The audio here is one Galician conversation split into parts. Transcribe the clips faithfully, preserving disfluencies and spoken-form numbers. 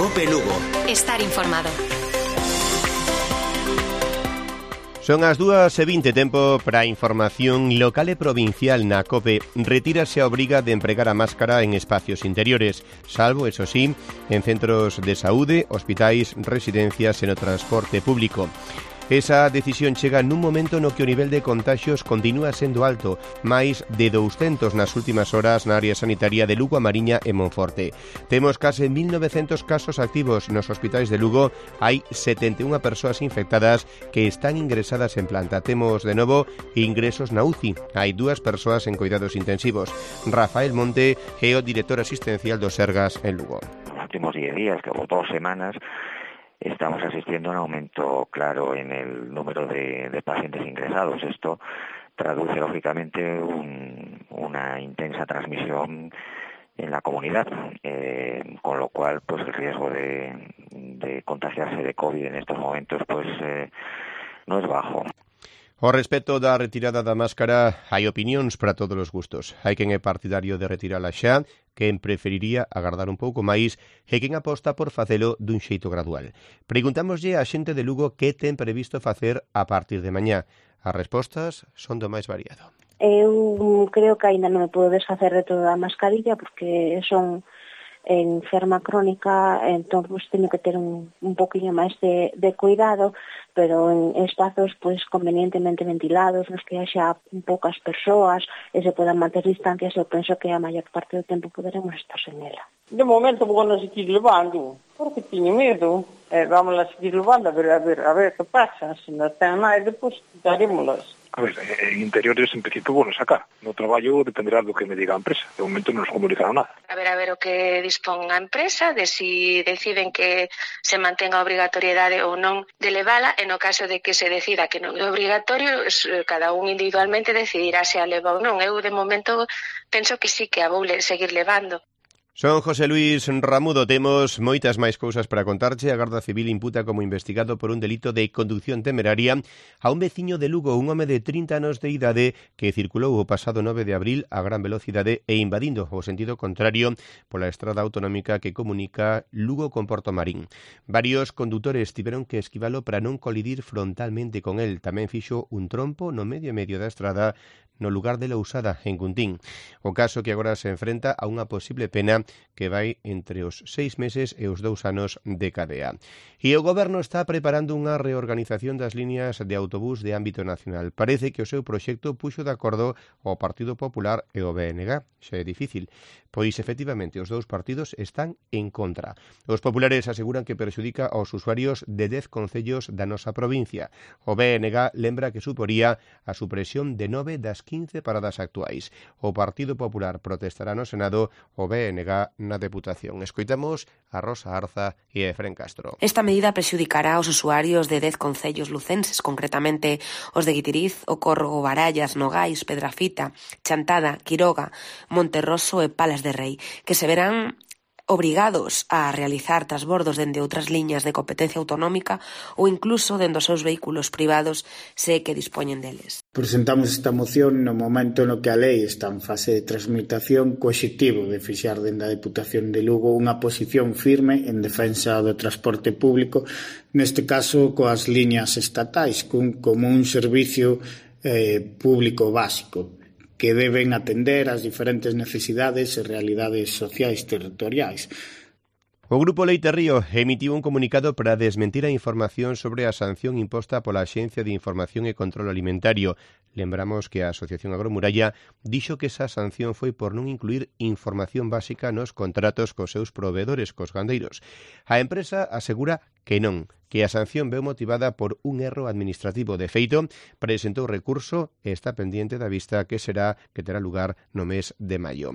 COPE Lugo. Estar informado. Son as dúas e vinte, tempo para a información local e provincial na COPE. Retírase a obriga de empregar a máscara en espacios interiores, salvo, eso sí, en centros de saúde, hospitais, residencias e no transporte público. Esa decisión chega nun momento no que o nivel de contaxios continúa sendo alto, máis de douscentos nas últimas horas na área sanitaria de Lugo, A Mariña e Monforte. Temos case mil novecentos casos activos nos hospitais de Lugo, hai setenta e unha persoas infectadas que están ingresadas en planta. Temos, de novo, ingresos na U C I. Hai dúas persoas en cuidados intensivos. Rafael Monte é o director asistencial do Sergas en Lugo. Nos últimos diez días, que hubo dos semanas, estamos asistiendo a un aumento claro en el número de, de pacientes ingresados. Esto traduce, lógicamente, un, una intensa transmisión en la comunidad, eh, con lo cual, pues el riesgo de, de contagiarse de COVID en estos momentos, pues eh, no es bajo. Ao respecto da retirada da máscara, hai opinións para todos os gustos. Hai quen é partidario de retirala xa, quen preferiría agardar un pouco máis e quen aposta por facelo dun xeito gradual. Preguntámoslle á xente de Lugo que ten previsto facer a partir de mañá. As respostas son do máis variado. Eu creo que aínda non me podo desfacer de toda a mascarilla porque son enferma crónica, entón pues, teño que ter un, un poquinho máis de, de cuidado, pero en espazos pues convenientemente ventilados, nos que haxa poucas persoas e se podan manter distancias, eu penso que a maior parte do tempo poderemos estar sen ela. De momento vou a seguir levando, porque tiño medo. Eh, vamos a seguir levando, a ver, a ver, a ver que pasa. Se non ten máis, depois darémolas. A ver, en interiores en principio vou sacar. No traballo dependerá do que me diga a empresa. De momento non nos comunicaron nada. A ver, a ver o que dispón a empresa, de si deciden que se mantenga a obrigatoriedade ou non de levala, e no caso de que se decida que non é obrigatorio, cada un individualmente decidirá se a leva ou non. Eu, de momento, penso que sí, que a vou seguir levando. Son José Luis Ramudo. Temos moitas máis cousas para contarche. A Garda Civil imputa como investigado por un delito de conducción temeraria a un veciño de Lugo, un home de trinta anos de idade que circulou o pasado nove de abril a gran velocidade e invadindo o sentido contrario pola estrada autonómica que comunica Lugo con Porto Marín. Varios condutores tiveron que esquivalo para non colidir frontalmente con el. Tamén fixo un trompo no medio e medio da estrada no lugar de Lousada, en Cuntín. O caso que agora se enfrenta a unha posible pena que vai entre os seis meses e os dous anos de cadea. E o Goberno está preparando unha reorganización das líneas de autobús de ámbito nacional. Parece que o seu proxecto puxo de acordo o Partido Popular e o B N G. Xa é difícil, pois efectivamente os dous partidos están en contra. Os populares aseguran que perxudica aos usuarios de dez concellos da nosa provincia. O B N G lembra que suporía a supresión de nove das quince paradas actuais. O Partido Popular protestará no Senado, o B N G na Deputación. Escoitamos a Rosa Arza e a Efrén Castro. Esta medida prexudicará aos usuarios de dez concellos lucenses, concretamente os de Guitiriz, O Corgo, Barallas, Nogais, Pedrafita, Chantada, Quiroga, Monterroso e Palas de Rei, que se verán obrigados a realizar transbordos dende outras liñas de competencia autonómica ou incluso dende os seus vehículos privados se que dispoñen deles. Presentamos esta moción no momento no que a lei está en fase de transmutación co obxectivo de fixar dende a Deputación de Lugo unha posición firme en defensa do transporte público, neste caso coas liñas estatais, como un servicio eh, público básico, que deben atender as diferentes necesidades e realidades sociais territoriais. O Grupo Leite Río emitiu un comunicado para desmentir a información sobre a sanción imposta pola Axencia de Información e Control Alimentario. Lembramos que a Asociación Agromuralla dixo que esa sanción foi por non incluir información básica nos contratos cos seus proveedores, cos gandeiros. A empresa asegura que non, que a sanción veu motivada por un erro administrativo. De feito, presentou recurso e está pendiente da vista que será que terá lugar no mes de maio.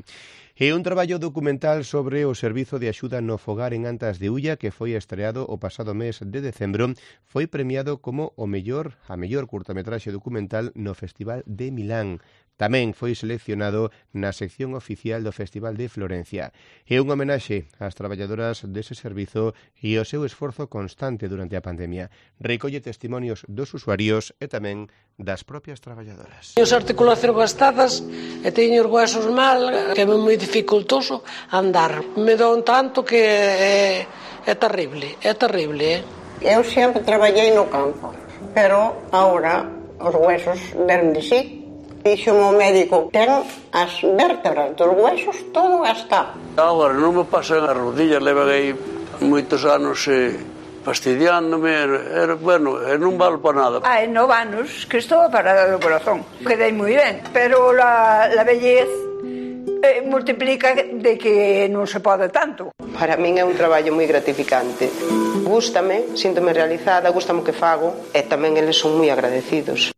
E un traballo documental sobre o Servizo de Axuda no Fogar en Antas de Ulla, que foi estreado o pasado mes de decembro, foi premiado como o mellor, a mellor curtametraxe documental no Festival de Milán. Tamén foi seleccionado na sección oficial do Festival de Florencia. É un homenaxe ás traballadoras dese servizo e ao seu esforzo constante durante a pandemia. Recolle testimonios dos usuarios e tamén das propias traballadoras. Teño as articulacións gastadas e teño os huesos mal, que é moi dificultoso andar. Me dou tanto que é, É terrible, é terrible, eh? Eu sempre traballei no campo, pero agora os huesos deron de sí. Dixo o médico, ten as vértebras dos huesos todo gastado. Agora non me pasan as rodillas, levan aí moitos anos eh, fastidiándome, era, bueno, e non vale para nada. Hai nove anos que estou parada do corazón, quedei moi ben, pero la, la vellez eh, multiplica de que non se pode tanto. Para min é un traballo moi gratificante. Gústame, síntome realizada, gústame o que fago e tamén eles son moi agradecidos.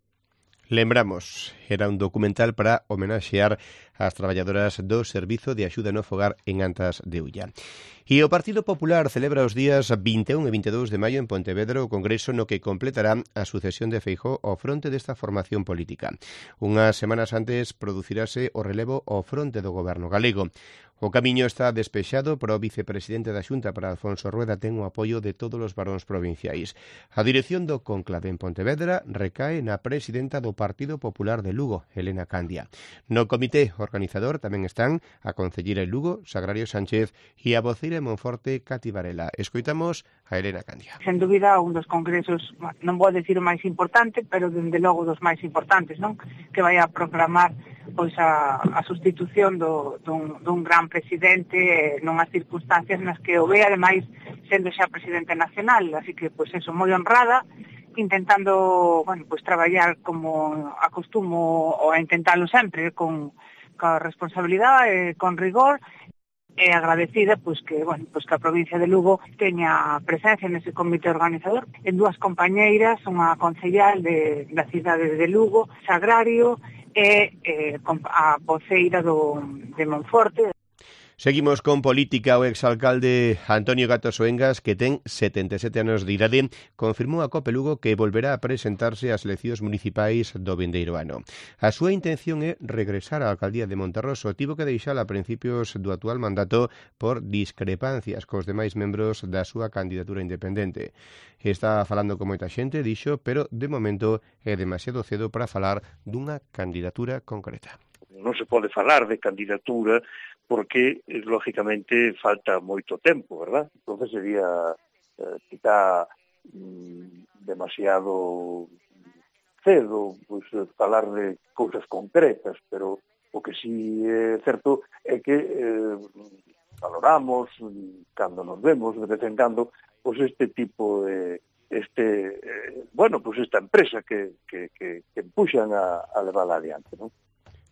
Lembramos, era un documental para homenaxear as traballadoras do Servizo de Axuda no Fogar en Antas de Ulla. E o Partido Popular celebra os días vinte e un e vinte e dous de maio en Pontevedra o congreso no que completará a sucesión de Feijóo ao fronte desta formación política. Unhas semanas antes producirase o relevo ao fronte do goberno galego. O camiño está despexado para o vicepresidente da Xunta, para Alfonso Rueda, ten o apoio de todos os varóns provinciais. A dirección do conclave en Pontevedra recae na presidenta do Partido Popular de Lugo, Elena Candia. No comité organizador tamén están a concelleira de Lugo, Sagrario Sánchez, e a voceira de Monforte, Cati Varela. Escoitamos a Elena Candia. Sen dúbida, un dos congresos, non vou decir o máis importante, pero dende logo dos máis importantes, non? Que vai a proclamar pois a, a sustitución do, dun, dun gran presidente eh, nunhas circunstancias nas que o ve, ademais, sendo xa presidente nacional, así que, pois, eso, moi honrada, intentando, bueno, pois, traballar como acostumo, ou a intentalo sempre, con, con responsabilidade, eh, con rigor, e agradecida, pois, que, bueno, pois, que a provincia de Lugo teña presencia nese comité organizador, en dúas compañeiras, unha concellal de, da cidade de Lugo, Sagrario, e eh, a voceira do, de Monforte. Seguimos con política. O exalcalde Antonio Gato Soengas, que ten setenta e sete anos de idade, confirmou a Cope Lugo que volverá a presentarse ás eleccións municipais do vindeiro ano. A súa intención é regresar á alcaldía de Monterroso. Tivo que deixala a principios do actual mandato por discrepancias cos demais membros da súa candidatura independente. Está falando con moita xente, dixo, pero de momento é demasiado cedo para falar dunha candidatura concreta. Non se pode falar de candidatura porque, lógicamente, falta moito tempo, verdad? Entonces sería eh, quizá mm, demasiado cedo pues, falar de cousas concretas, pero o que sí é certo é que eh, valoramos, cando nos vemos, de vez en cando, pues este tipo de este, eh, bueno, pues esta empresa que, que, que, que empuxan a, a levar adiante, non?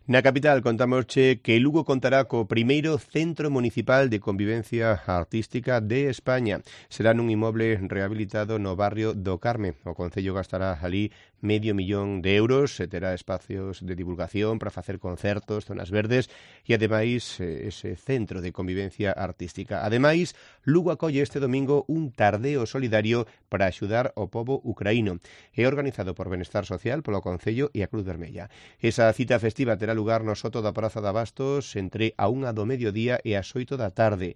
Na capital contamosche que Lugo contará co primeiro Centro Municipal de Convivencia Artística de España. Será nun inmoble rehabilitado no barrio do Carme. O Concello gastará ali medio millón de euros e terá espacios de divulgación para facer concertos, zonas verdes e, ademais, ese centro de convivencia artística. Ademais, Lugo acolle este domingo un tardeo solidario para axudar ao pobo ucraíno. É organizado por Benestar Social, polo Concello e a Cruz Vermella. Esa cita festiva terá lugar no soto da Praza de Abastos entre a unha do mediodía e as oito da tarde.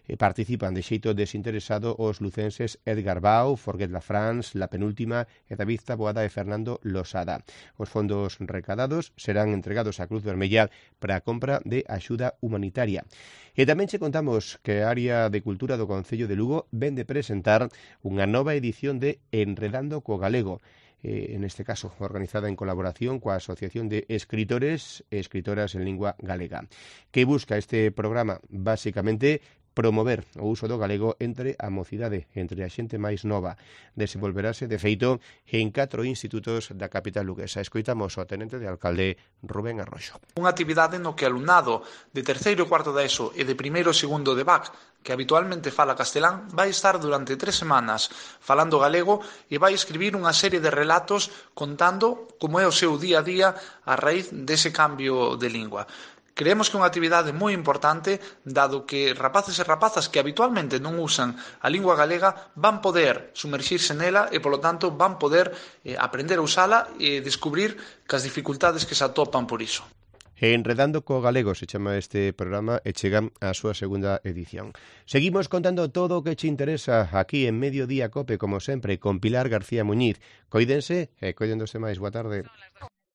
E participan de xeito desinteresado os lucenses Edgar Bau, Forget la France, La Penúltima e David Taboada e Fernando Losada. Os fondos recadados serán entregados á Cruz Vermella para a compra de axuda humanitaria. E tamén che contamos que a área de cultura do Concello de Lugo ven de presentar unha nova edición de Enredando co Galego, en este caso organizada en colaboración coa Asociación de Escritores e Escritoras en Lingua Galega, que busca este programa basicamente promover o uso do galego entre a mocidade, entre a xente máis nova. Desenvolverase, de feito, en catro institutos da capital luguesa. Escoitamos o tenente de alcalde Rubén Arroxo. Unha actividade no que alumnado de terceiro e cuarto da ESO e de primeiro e segundo de B A C, que habitualmente fala castelán, vai estar durante tres semanas falando galego e vai escribir unha serie de relatos contando como é o seu día a día a raíz dese cambio de lingua. Creemos que é unha actividade moi importante, dado que rapaces e rapazas que habitualmente non usan a lingua galega van poder sumerxirse nela e, polo tanto, van poder eh, aprender a usala e descubrir que as dificultades que se atopan por iso. Enredando co Galego se chama este programa e chegan a súa segunda edición. Seguimos contando todo o que che interesa aquí en Mediodía Cope, como sempre, con Pilar García Muñiz. Coídense e coídendose máis. Boa tarde.